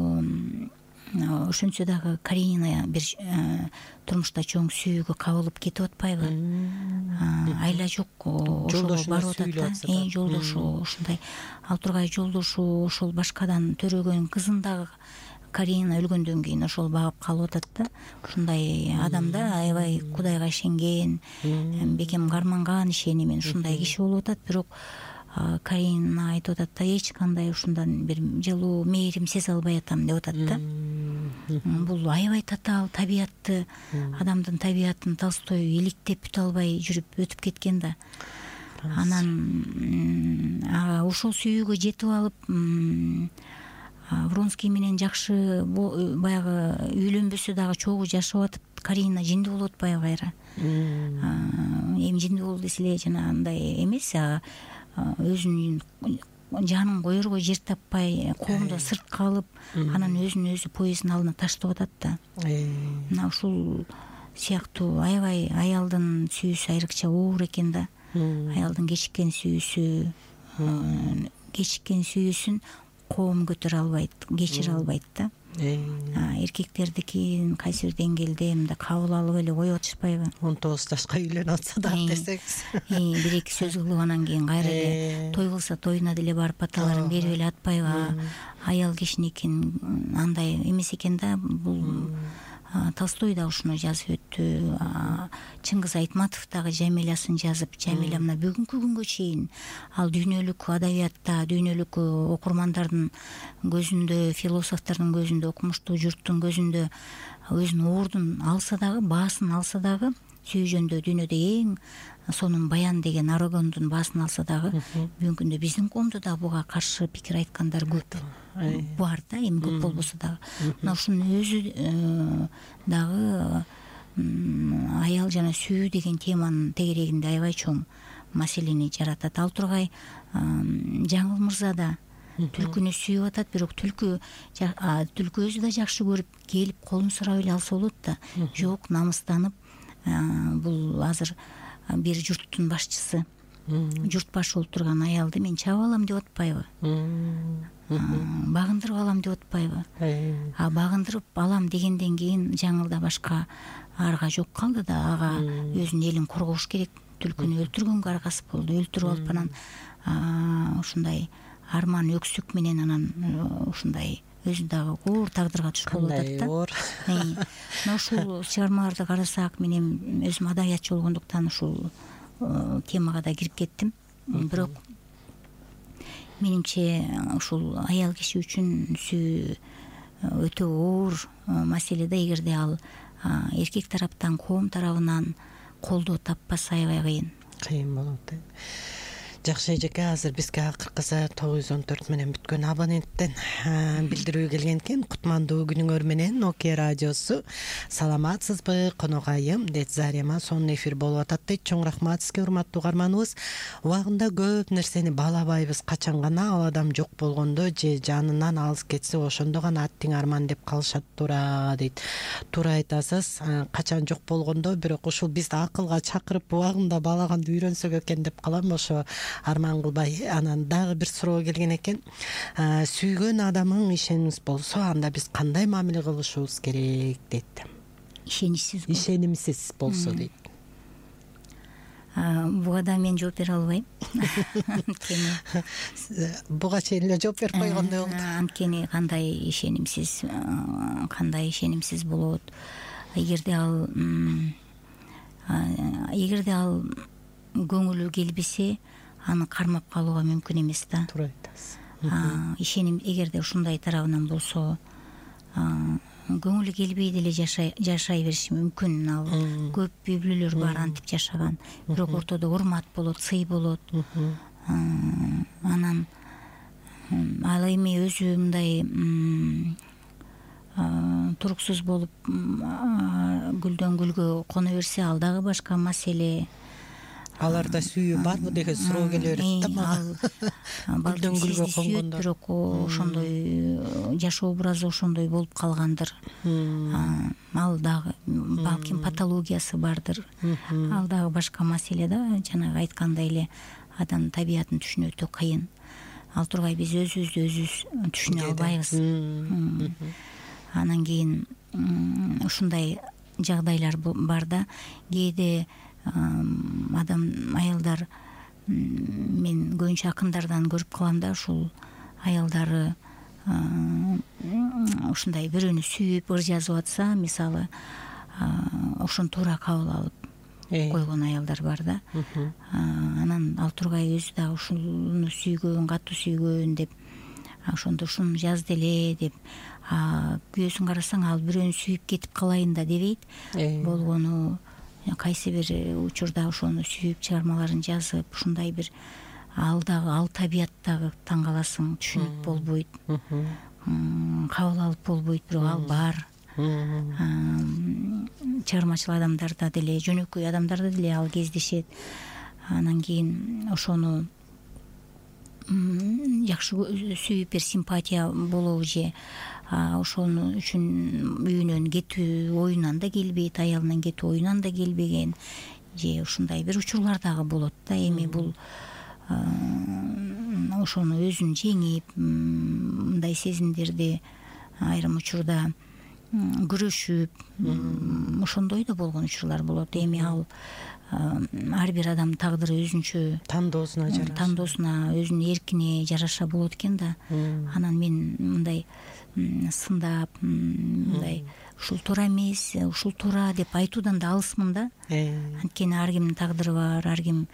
ошентсе дагы Каренина бир турмушта чоң сүйүүгө кабылып кетип атпайбы? Айла жок, ошого барып атат да. Жолдошу ушундай. Ал тургай жолдошу ошол башкадан төрөгөн кызын дагы Каренина өлгөндөн кийин ошол багып калып атат да. Ушундай адам да, аябай Кудайга ишенген, бекем карманган ишенимен ушундай киши болуп атат. Бирок Каренина айтып атат да, эч кандай ушундан бир жылуу мээрим сезе албай атам деп атат да. Бул аябай татаал табиятты, адамдын табиятын Толстой иликтеп бүтө албай жүрүп өтүп кеткен да. Анан ошол сүйүүгө жетип алып Вронский менен жакшы баягы үйлөнбөсө дагы чогуу жашап атып, Каренина жиндүү болуп атпайбы кайра? Эми жиндүү болду десе эле жанагындай эмес, өзүнүн жанын коерго жер таппай, коомдон сырт калып, анан өзүн өзү поезддин алдына таштап атат да. Мына ушул сыяктуу аябай аялдын сүйүүсү айрыкча оор экен да. Аялдын кечиккен сүйүүсүн коом көтөрө албайт, кечире албайт да. Эркектердикин кайсы бир деңгээлде мындай кабыл алып эле коюп атышпайбы? 19 жашка үйлөнүп атса дагы десеңиз. Бир эки сөз кылып анан кийин кайра эле той кылса тоюна деле барып баталарын берип эле атпайбы? Аял кишиникин андай эмес экен да. Бул Толстой да ушуну жазып өттү. Чыңгыз Айтматов дагы Жамилясын жазып, Жамиля мына бүгүнкү күнгө чейин ал дүйнөлүк адабиятта, дүйнөлүк окурмандардын көзүндө, философтордун көзүндө, окумуштуу журттун көзүндө өзүнүн ордун алса дагы, баасын алса дагы, сүйүү жөнүндө дүйнөдө эң сонун баян деген Арагондун баасын алса дагы, бүгүнкү күндө биздин коомдо да буга каршы пикир айткандар көп бар да, эми көп болбосо дагы. Мына ушунун өзү дагы аял жана сүйүү деген теманын тегерегинде аябай чоң маселени жаратат. Ал тургай Жаңыл мырза да түлкүнү сүйүп атат, бирок түлкү өзү да жакшы көрүп келип колун сурап эле алса болот да. Жок, намыстанып, бул азыр бир журттун башчысы, журт башы болуп турган аялды мен чабып алам деп атпайбы? Багындырып алам деп атпайбы? Багындырып алам дегенден кийин Жаңылда башка арга жок калды да, ага өзүнүн элин коргош керек. Түлкүнү өлтүргөнгө аргасы болду. Өлтүрүп алып анан ушундай арман өксүк менен анан ушундай өзү дагы оор тагдырга түшүп болуп атат да. Мына ушул чыгармаларды карасак, мен эми өзүм адабиятчы болгондуктан ушул темага да кирип кеттим. Бирок менимче ушул аял киши үчүн сүйүү өтө оор маселе да. Эгерде ал эркек тараптан, коом тарабынан колдоо таппаса аябай кыйын болот. Жакшы эжеке, азыр бизге акыркысы 914 менен бүткөн абоненттен билдирүү келген экен. Кутмандуу күнүңөр менен Nokia радиосу. Саламатсызбы, коногайым дейт Зарема. Сонун эфир болуп атат дейт. Чоң рахмат сизге, урматтуу угарманыбыз. Убагында көп нерсени баалабайбыз. Качан гана ал адам жок болгондо же жанынан алыс кетсе, ошондо гана аттиң арман деп калышат туура дейт. Туура айтасыз. Качан жок болгондо, бирок ушул бизди акылга чакырып убагында баалаганды үйрөнсөк экен деп калам. Ошо арман кылбай. Анан дагы бир суроо келген экен. Сүйгөн адамың ишенимsiz болсо, анда биз кандай мамиле кылышыбыз керек дейт. Ишенимsiz болсо дейт. Буга да мен жооп бере албайм. Буга чейин эле жооп берип койгондой болду. Анткени кандай ишенимsiz болот. Эгерде ал көңүлү келбесе, аны кармап калууга мүмкүн эмес да. Туура айтасыз. Эгерде ушундай тарабынан болсо, көңүлү келбей деле жашай бериши мүмкүн. Ал көп үй бүлөлөр бар антип жашаган, бирок ортодо урмат болот, сый болот. Анан ал эми өзү мындай туруксуз болуп гүлдөн гүлгө коно берсе, ал дагы башка маселе. Аларда сүйүү барбы деген суроо келе берет да мага. Гүлдөн гүлгө конгондор, бирок ошондой жашоо образы ошондой болуп калгандыр. Ал дагы балким патологиясы бардыр. Ал дагы башка маселе да. Жанагы айткандай эле адамдын табиятын түшүнүү өтө кыйын. Ал тургай биз өзүбүздү өзүбүз түшүнө албайбыз. Анан кийин ушундай жагдайлар бар да. Кээде аялдар, мен көбүнчө акындардан көрүп калам да, ушул аялдары ушундай бирөөнү сүйүп ыр жазып атса, мисалы, ошону туура кабыл алып койгон аялдар бар да. Анан ал тургай өзү дагы ушуну сүйгөн, катуу сүйгөн деп, ошондо ушуну жазды эле деп, күйөөсүн карасаң ал бирөөнү сүйүп кетип калайын да дебейт. Болгону кайсы бир учурда ошону сүйүп чыгармаларын жазып, ушундай бир ал дагы, ал табият дагы таң каласың, түшүнүк болбойт, кабыл алып болбойт, бирок ал бар. Чыгармачыл адамдарда деле, жөнөкөй адамдарда деле ал кездешет. Анан кийин ошону жакшы сүйүп бир симпатия болобу же ошону үчүн үйүнөн кетүү оюнан да келбейт, аялынан кетүү оюнан да келбеген, же ушундай бир учурлар дагы болот да. Эми бул ошону өзүн жеңип, мындай сезимдерди айрым учурда күрөшүп, ошондой да болгон учурлар болот. Эми ал ар бир адамдын тагдыры өзүнчө, тандоосуна, өзүнүн эркине жараша болот экен да. Анан мен мындай сындап, мындай ушул туура эмес, ушул туура деп айтуудан да алысмын да. Анткени ар кимдин тагдыры бар, ар ким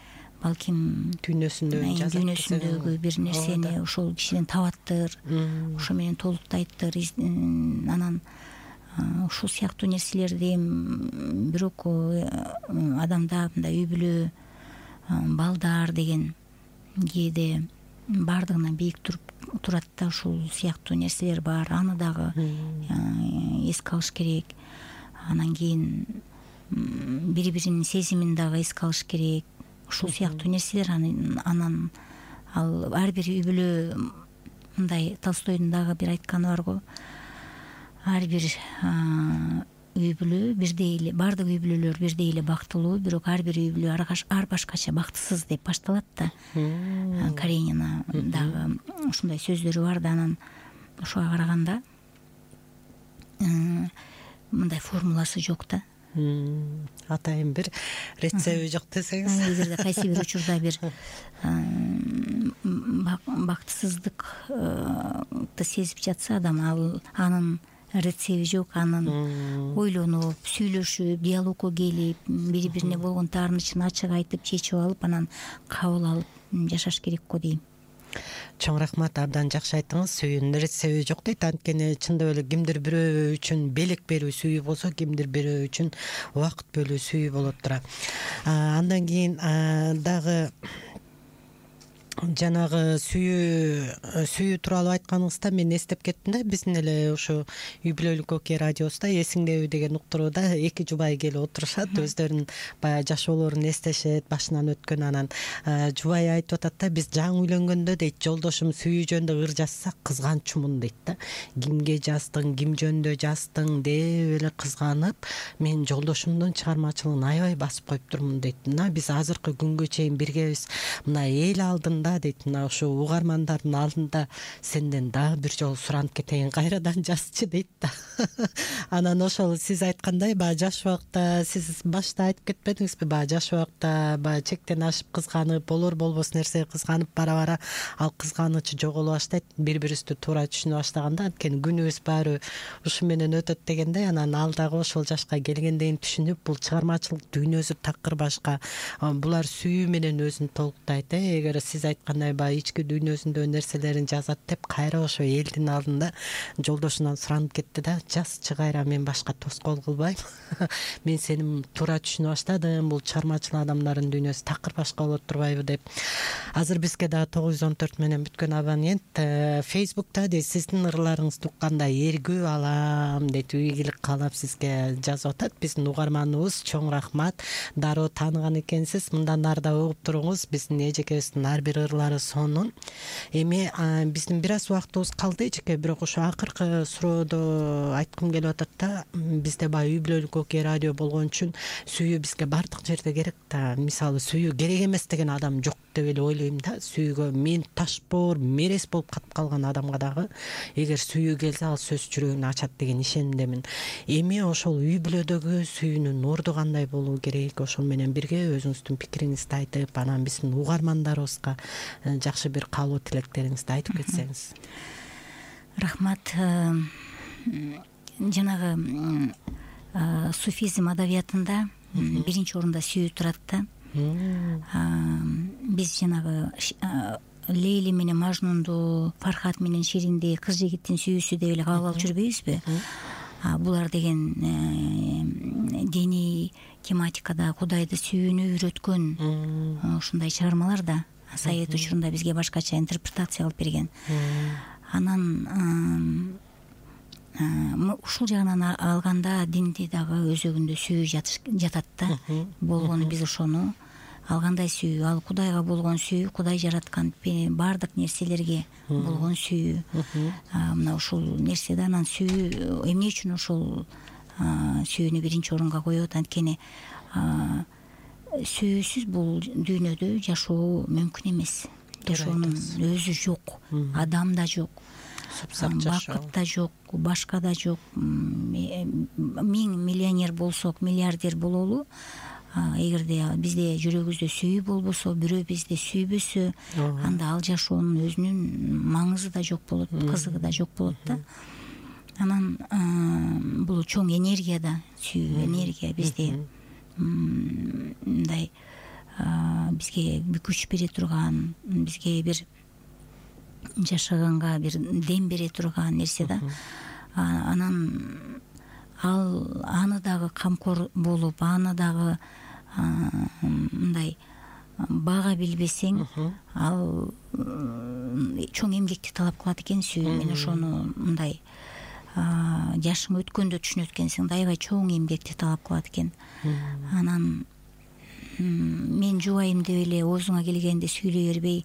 балким дүйнөсүндөгү бир нерсени ошол кишиден табаттыр, ошо менен толуктайттыр. Анан ушул сыяктуу нерселерди бирок адамда мындай үй бүлө, балдар деген кээде баардыгынан бийик турат да. Ушул сыяктуу нерселер бар, аны дагы эске алыш керек. Анан кийин бири-биринин сезимин дагы эске алыш керек. Ушул сыяктуу нерселер. Анан ал ар бир үй бүлө, мындай Толстойдун дагы бир айтканы бар го, ар бир үй бүлө бирдей эле, баардык үй бүлөлөр бирдей эле бактылуу, бирок ар бир үй бүлө ар башкача бактысыз деп башталат да. Каренина дагы ушундай сөздөрү бар да. Анан ошого караганда мындай формуласы жок да. Атайын бир рецепти жок десеңиз. Эгерде кайсы бир учурда бир бактысыздыкты сезип жатса адам, анын рецепти жок. Анын ойлонуп, сүйлөшүп, диалогко келип, бири-бирине болгон таарынычын ачык айтып, чечип алып, анан кабыл алып жашаш керек го дейм. Чоң рахмат, абдан жакшы айттыңыз. Сүйүүнүн рецепти жок дейт. Анткени чындап эле кимдир бирөө үчүн белек берүү сүйүү болсо, кимдир бирөө үчүн убакыт бөлүү сүйүү болот тура. Андан кийин дагы жанагы сүйүү тууралуу айтканыңызда мен эстеп кеттим да. Биздин эле ушу үй бүлөлүк окей радиосунда эсиңдеби деген уктурууда эки жубай келип отурушат, өздөрүнүн баягы жашоолорун эстешет, башынан өткөн. Анан жубай айтып атат да, биз жаңы үйлөнгөндө дейт, жолдошум сүйүү жөнүндө ыр жазса кызганчумун дейт да. Кимге жаздың, ким жөнүндө жаздың деп эле кызганып, мен жолдошумдун чыгармачылыгын аябай басып коюптурмун дейт. Мына биз азыркы күнгө чейин биргебиз, мына эл алдында дейт, мына ушу угармандардын алдында сенден дагы бир жолу суранып кетейин, кайрадан жазчы дейт да. Анан ошол сиз айткандай, баягы жаш убакта, сиз башта айтып кетпедиңизби, баягы жаш убакта баягы чектен ашып кызганып, болор болбос нерсеге кызганып, бара-бара ал кызганыч жоголо баштайт, бири-бирибизди туура түшүнө баштаганда, анткени күнүбүз баары ушу менен өтөт дегендей. Анан ал дагы ошол жашка келгенден түшүнүп, бул чыгармачылык дүйнөсү такыр башка, булар сүйүү менен өзүн толуктайт. Эгер сиз айткандай баягы ички дүйнөсүндө нерселерин жазат деп кайра ошо элдин алдында жолдошунан суранып кетти да, жазчы кайра, мен башка тоскоол кылбайм. Мен сени туура түшүнө баштадым, бул чыгармачыл адамдардын дүйнөсү такыр башка болот турбайбы деп. Азыр бизге дагы 914 менен бүткөн абонент Facebook'та дейт, сиздин ырларыңызды укканда эргүү алам дейт, ийгилик каалап сизге жазып атат. Биздин угарманыбыз, чоң рахмат. Дароо тааныган экенсиз. Мындан ары да угуп туруңуз. Биздин эжекебиздин ар бир ырлары сонун. Эми биздин бир аз убактыбыз калды эжеке, бирок ошо акыркы суроодо айткым келип атат да, бизде баягы үй бүлөлүк окей радио болгон үчүн сүйүү бизге бардык жерде керек да. Мисалы сүйүү керек эмес деген адам жок деп эле ойлойм да. Сүйүүгө мен ташбоор, мерез болуп катып калган адамга дагы эгер сүйүү келсе, ал сөз жүрөгүн ачат деген ишенимдемин. Эми ошол үй бүлөдөгү сүйүүнүн орду кандай болуу керек? Ошол менен бирге өзүңүздүн пикириңизди айтып, анан биздин угармандарыбызга жакшы бир каалоо тилектериңизди айтып кетсеңиз. Рахмат. Жанагы суфизм адабиятында биринчи орунда сүйүү турат да. Биз жанагы Лейли менен Мажнунду, Фархат менен Ширинди кыз жигиттин сүйүүсү деп эле кабыл алып жүрбөйбүзбү? Булар деген диний тематикада Кудайды сүйүүнү үйрөткөн ушундай чыгармалар да. Совет учурунда бизге башкача интерпретация кылып берген. Анан ушул жагынан алганда динде дагы өзөгүндө сүйүү жатат да. Болгону биз ошону алгандай сүйүү, ал Кудайга болгон сүйүү, Кудай жараткан баардык нерселерге болгон сүйүү. Мына ушул нерседе анан сүйүү эмне үчүн ошол сүйүүнү биринчи орунга коет? Анткени сүйүүсүз бул дүйнөдө жашоо мүмкүн эмес. Жашоонун өзү жок, адам да жок, бакыт да жок, башка да жок. 1000 миллионер болсок, миллиардер бололу, эгерде бизде жүрөгүбүздө сүйүү болбосо, бирөө бизди сүйбөсө, анда ал жашоонун өзүнүн маңызы да жок болот, кызыгы да жок болот да. Анан бул чоң энергия да, сүйүү энергия бизде мындай бизге күч бере турган, бизге бир жашаганга бир дем бере турган нерсе да. Анан ал аны дагы камкор болуп, аны дагы мындай бага билбесең, ал чоң эмгекти талап кылат экен сүйүү. Мен ошону мындай жашың өткөндө түшүнөт экенсиң, аябай чоң эмгекти талап кылат экен. Анан мен жубайым деп эле оозуңа келгенде сүйлөй бербей,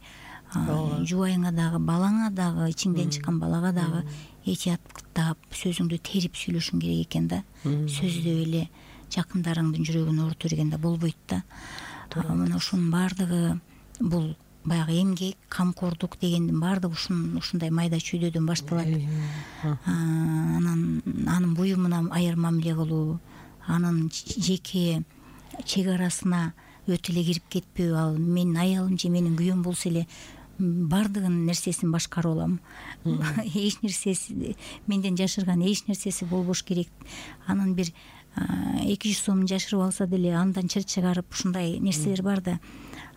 жубайыңа дагы, балаңа дагы, ичиңден чыккан балага дагы этияттап, сөзүңдү терип сүйлөшүң керек экен да. Сөздөп эле жакындарыңдын жүрөгүн оорута бергенде болбойт да. Мына ушунун баардыгы бул баягы эмгек, камкордук дегендин баардыгы ушундай майда чүйдөдөн башталат. Анан анын буюмуна аяр мамиле кылуу, анын жеке чек арасына өтө эле кирип кетпөө. Ал менин аялым же менин күйөөм болсо эле баардыгынын нерсесин башкарып алам. Эч нерсеси менден жашырган эч нерсеси болбош керек. Анын бир 200 сомун жашырып алса деле андан чыр чыгарып, ушундай нерселер бар да.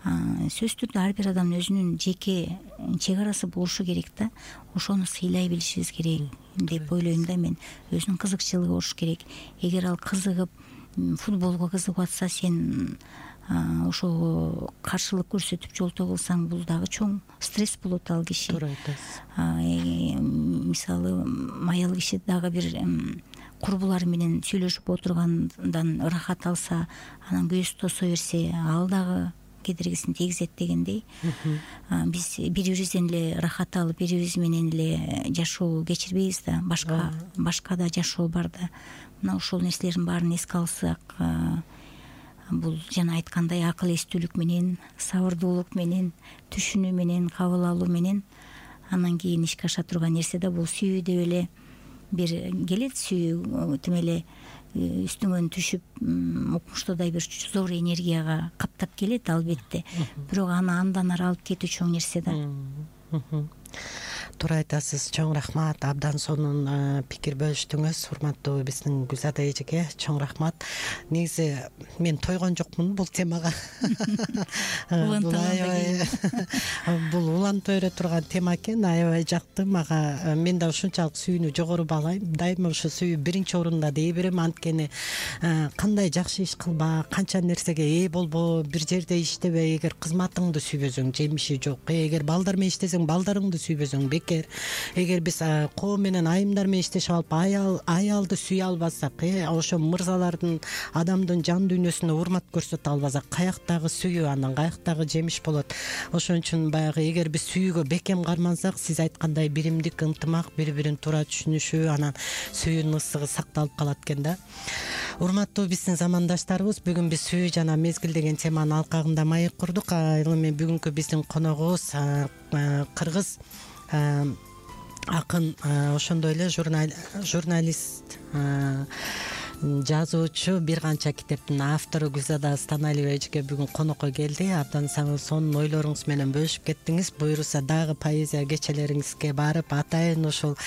Сөзсүз түрдө ар бир адамдын өзүнүн жеке чек арасы болушу керек да. Ошону сыйлай билишибиз керек деп ойлойм да мен. Өзүнүн кызыкчылыгы болуш керек. Эгер ал кызыгып, футболго кызыгып атса, сен ошого каршылык көрсөтүп жолтоо кылсаң, бул дагы чоң стресс болот ал киши. Туура айтасыз. Мисалы, аял киши дагы бир курбулары менен сүйлөшүп отургандан ырахат алса, анан күйөөсү тосо берсе, ал дагы кедергисин тийгизет дегендей. Биз бири-бирибизден эле ырахат алып, бири-бирибиз менен эле жашоо кечирбейбиз да. Башка да жашоо бар да. Мына ошол нерселердин баарын эске алсак, бул жана айткандай акыл эстүүлүк менен, сабырдуулук менен, түшүнүү менен, кабыл алуу менен анан кийин ишке аша турган нерсе да бул сүйүү деп эле бир келет. Сүйүү тим эле үстүңөн түшүп укмуштуудай бир зор энергияга каптап келет албетте, бирок аны андан ары алып кетүү чоң нерсе да. Туура айтасыз, чоң рахмат. Абдан сонун пикир бөлүштүңүз, урматтуу биздин Гүлзада эжеке, чоң рахмат. Негизи мен тойгон жокмун бул темага. Бул улантып бере турган тема экен, аябай жакты мага. Мен да ушунчалык сүйүүнү жогору баалайм. Дайыма ошо сүйүү биринчи орунда дей берем. Анткени кандай жакшы иш кылба, канча нерсеге ээ болбо, бир жерде иштебей, эгер кызматыңды сүйбөсөң жемиши жок. Эгер балдар менен иштесең балдарыңды сүйбөсөң бекер. Эгер биз коо менен айымдар менен иштешип алып аялды сүйө албасак, ошо мырзалардын адамдын жан дүйнөсүнө урмат көрсөтө албасак, каяктагы сүйүү, анан каяктагы жемиш болот. Ошон үчүн баягы эгер биз сүйүүгө бекем кармансак, сиз айткандай биримдик, ынтымак, бири-бирин туура түшүнүшүү, анан сүйүүнүн ысыгы сакталып калат экен да. Урматтуу биздин замандаштарыбыз, бүгүн биз сүйүү жана мезгил деген теманын алкагында маек курдук. Ал эми бүгүнкү биздин коногубуз кыргыз акын, ошондой эле журналист, жазуучу, бир канча китептин автору Гүлзада Станалиева эжеке бүгүн конокко келди. Абдан сонун ойлоруңуз менен бөлүшүп кеттиңиз. Буюрса дагы поэзия кечелериңизге барып, атайын ушул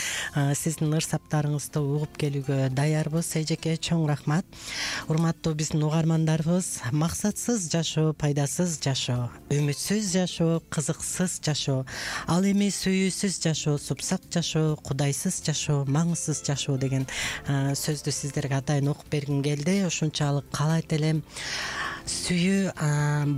сиздин ырсаптарыңызды угуп келүүгө даярбыз. Эжеке, чоң рахмат. Урматтуу биздин угармандарыбыз, максатсыз жашоо пайдасыз жашоо, үмүтсүз жашоо кызыксыз жашоо, ал эми сүйүүсүз жашоо супсак жашоо, кудайсыз жашоо маңызсыз жашоо деген сөздү сиздерге атайын окуп бергим келди. Ушунчалык каалайт элем. Сүйүү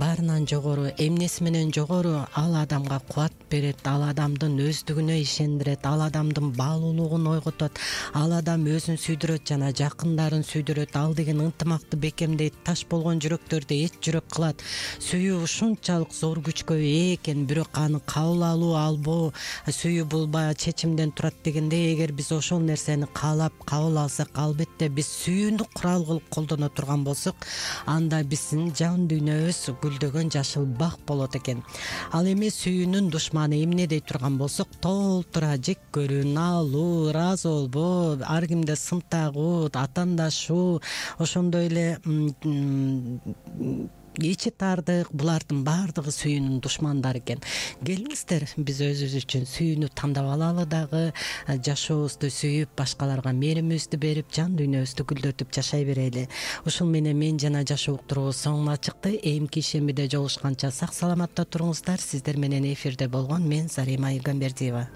баарынан жогору, эмнеси менен жогору, ал адамга кубат берет, ал адамдын өздүгүнө ишендирет, ал адамдын баалуулугун ойготот, ал адам өзүн сүйдүрөт жана жакындарын сүйдүрөт, ал деген ынтымакты бекемдейт, таш болгон жүрөктөрдү эч жүрөк кылат. Сүйүү ушунчалык зор күчкө ээ экен, бирок аны кабыл алуу албоо, сүйүү бул баягы чечимден турат дегендей, эгер биз ошол нерсени каалап кабыл алсак, албетте биз сүйүүнү курал кылып колдоно турган болсок, анда биздин жан дүйнөбүз гүлдөгөн жашыл бак болот экен. Ал эми сүйүүнүн душманы эмне дей турган болсок, толтура жек көрүү, наалуу, ыраазы болбоо, ар кимде сын тагуу, атандашуу, ошондой эле ичи таардык, булардын баардыгы сүйүүнүн душмандары экен. Келиңиздер, биз өзүбүз үчүн сүйүүнү тандап алалы дагы, жашообузду сүйүп, башкаларга мээримибизди берип, жан дүйнөбүздү гүлдөтүп жашай берели. Ушул менен мен жана жашоо уктуруубуз соңуна чыкты. Эмки ишембиде жолугушканча сак саламатта туруңуздар. Сиздер менен эфирде болгон мен Зарима Игамбердиева.